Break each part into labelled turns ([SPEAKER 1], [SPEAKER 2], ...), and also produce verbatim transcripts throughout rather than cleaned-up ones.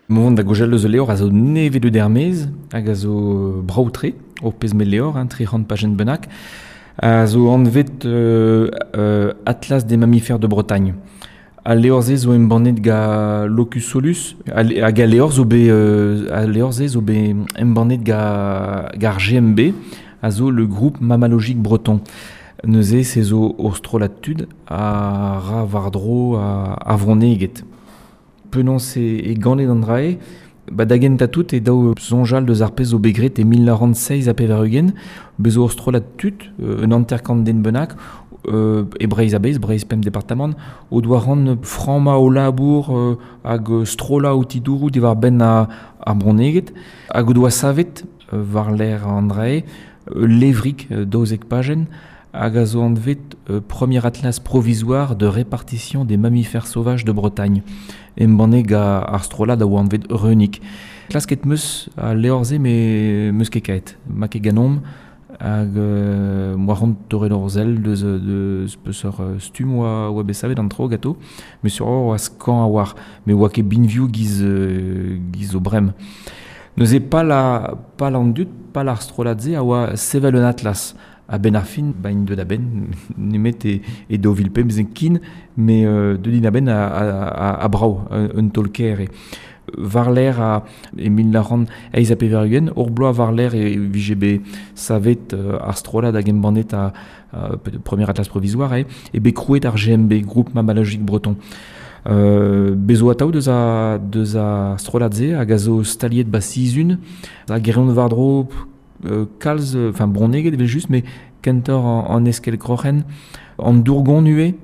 [SPEAKER 1] Mont da gojal eus leor a zo neve de dermez, hag a zo braoutre, o pez me leor, hein, tri c'hant pajenn bennak, a zo anvet euh, euh, Atlas des mammifères de Bretagne. Al leor ze zo embannet ga Locus Solus, hag al leor zo be, euh, al leor ze zo be embannet ga, gar G M B, a zo le groupe mammalogique breton. Neuze se zo ur strollad tud a ra war-dro a, a vroneget. Penaos e, e ganet an drae, ba da gentañ tout e daou soñjal deus ar pezh zo bet graet e mil nav c'hant seizh ha pevar-ugent, bez zo ur strollad tud, euh, un hanter-kant den bennak, euh, e Breizh a-bezh, Breizh pemp departamant, o doa ran frammañ o labour, euh, hag strollañ o tidourou diwar benn a, ar bronneged, hag o doa savet, euh, war l'air an drae, euh, levrig, euh, daouzek pajenn, hag a zo anvet, euh, Premier atlas provisoire de répartition des mammifères sauvages de Bretagne. Embannet ga ar strollad a oa anvet Reunik. Klasket meus a leor-se me meus ket kaet. Ma ket ganomp hag, euh, moa ront torret ur sell deus, deus peseurt, euh, stumm oa, oa bet savet an tro gato, me sur oa skañv a war, me oa ket binvioù giz, euh, giz o brem. Neuze pal a, pal an dud, pal ar strollad-se a oa sevel un atlas. A ben ar fin, ba int deut a-benn, nemet e, e daou vil pemzek kin, me, euh, deut int a-benn a, a, a, a brao, un, un taol kaer eo. War l'air a, e mil nav c'hant eizh ha pevar-ugent, ur bloaz war l'air e vije bet savet, euh, ar strollad hag embannet a, a, premier atlas provisoire, e, e bet krouet ar G M B, Groupe Mammalogique Breton. Euh, bezo atav deus a, deus a strollad-se hag a zo staliet ba Sizun, hag e reont war-dro, euh, kalz, enfin bronneged evel just, mais kentor an, an eskel kroc'hen, an dourgon ue,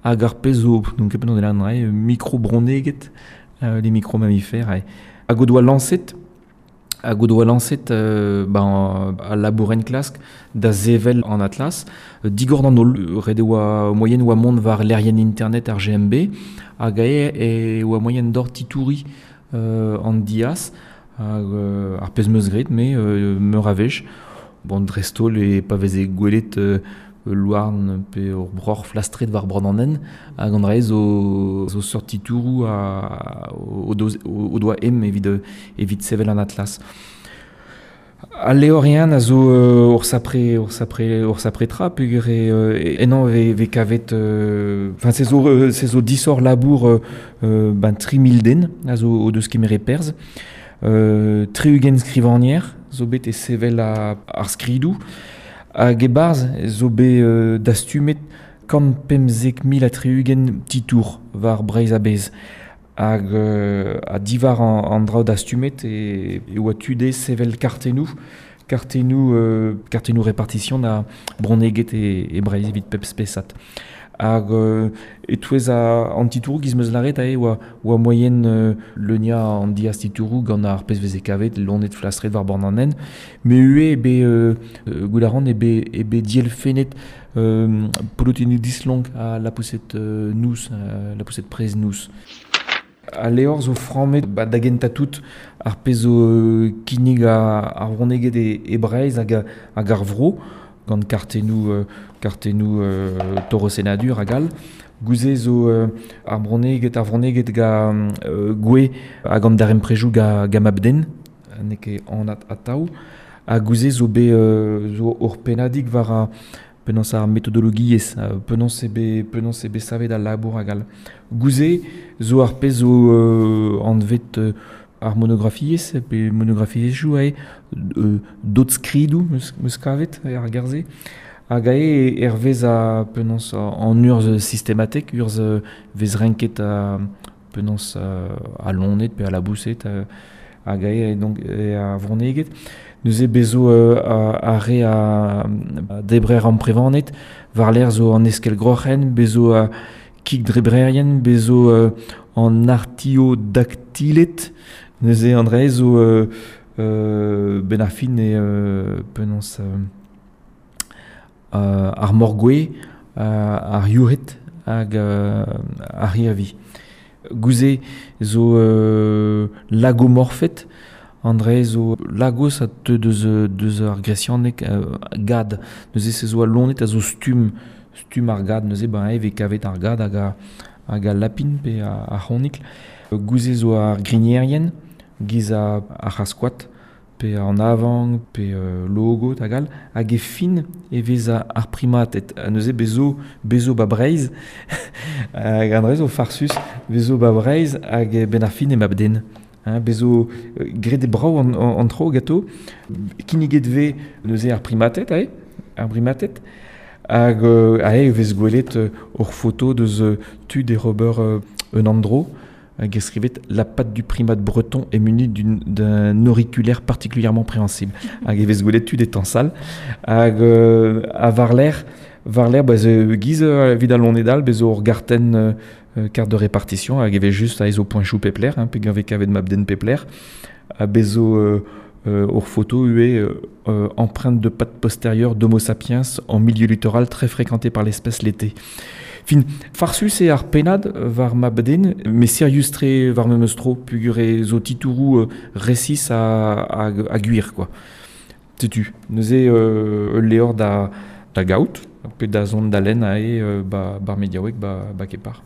[SPEAKER 1] hag ar pezh zo, donc e penaos an drae, micro-bronneged, euh, les micro-mammifères, e. Hag o doa lañset, hag o doa lañset, euh, ben, al labourenn klask da sevel an atlas, euh, digor d'an holl, ret e oa moyen oa mont war lec'hienn internet ar G M B, hag ae e oa moyen d'or titouri, euh, an diaz, hag, euh, ar pezh meus graet, me, euh, meur a wech. Bon, dreist-holl e pa veze gwelet, euh, louarn pe ur broc'h flastret war bord an hent, hag an drae zo, zo seurt titourou a, o, o doz, o, o doa em evit, evit sevel an atlas. Al leorien a zo, euh, ur sapre, ur sapre, ur sapre tra, peogwir e, euh, ennañ ve, ve kavet, euh, enfin, se zo, euh, se zo disoc'h labour, euh, euh, ben, tri mil den a zo o deus kemeret perzh. Euh, tri-ugent skrivagner zo bet e sevel a, ar skridoù. Hag e-barzh zo bet, euh, dastumet kant pemzek mil ha tri-ugent titour war Breizh a-bezh. Hag, euh, a diwar an, an draoù dastumet e, e oa tude sevel kartennoù, kartennoù, euh, kartennoù répartition da bronneged e, e Breizh evit pep spesad. Hag, euh, e-touez a, an titourou giz meus lâret ae oa, oa moyen, euh, leunia an diaz titourou gant ar pezh veze kavet, lonet flastret war bord an hent. Me ue e bet, euh, euh, goût a ran e bet, e bet dielfennet, euh, polotennoù dislonk a la poussette, euh, nous, euh, la poussette prez nous. Al leor zo frammet, ba, da gentañ tout ar pezh zo, euh, kinnig a, ar bronneged e, e Breizh hag, hag ar vro, gant kartennoù, euh, kartennoù, euh, torosennadur hag all. Gouze zo, euh, ar bronneged, ar bronneged ga, euh, gwe hag an daremprejoù ga, ga mabden, n'eo ket anat atav. Ha gouze zo bet, euh, zo ur pennadig war a penaos ar metodologiezh, euh, penaos eo bet, penaos eo bet savet al labour hag all. Gouze zo ar pezh zo, euh, anvet, euh, ar monografiezh, pe monografiezhioù ae, euh, dot skridoù meus, meus kavet ar gerze. Hag ae hervez a penaos an urzh sistematek, urzh vez renket a penaos a lonet pe a laboused, hag ae donc e a vronneged. Neuze bezo, euh, a, a re a, a debrer amprevanet, war l'air zo an eskel groc'hen, bezo a kig drebrerien, bezo, euh, an artiodactylet, neuze an dre zo, euh, euh, ben ar fin e, euh, penaos, euh, euh, ar morgwe, euh, ar youc'hed hag, euh, ar hirvi. Gouze zo, euh, lagomorphet, André zo lagos a teu deus, deus ar gresianeg, euh, gad. Neuze se zo a lonet a zo stumm, stumm ar gad, neuze ben eve kavet ar gad hag a, hag a lapin pe a, a c'honikl. Gouze zo ar grignerien, giz a, ar c'hazh-koad, pe an avank, pe euh, logod hag all, hag e fin e vez ar primated. Ha neuze bezo, bezo ba Breizh, hag an dra zo farsus, bezo ba Breizh hag ben ar fin e mab-den. Hein, bezo graet e brav an, an, an tro gato, kinniget vez neuze ar primated, ae, ar primated, hag euh, ae vez gwelet euh, ur foto deus euh, tud e ober euh, un andro, hag e skrivet la patte du primate breton est munie d'un auriculaire particulièrement préhensible. Hag e vez gwelet tud e tañsal. Hag euh, a war-lerc'h, war-lerc'h, ba, ze giz euh, evit al loened all, bez ur gartenn euh, carte de répartition, hag e vez just a zo poenchoù pep lec'h, hein, pe gant vez kavet mab-den pep lec'h, ha bez zo euh, euh, ur foto ue euh, empreinte de patte postérieure d'Homo sapiens en milieu littoral très fréquenté par l'espèce l'été. Fin, farsus eo ar pennad war mab-den, met sirius-tre war memes tro, peogwir e zo titouroù euh, resis a, a, a gwir, quoi. Setu, neuze euh, ul levr da, da gaout, pe da zont da lenn ae euh, ba, bar mediaoueg ba, ba kepar.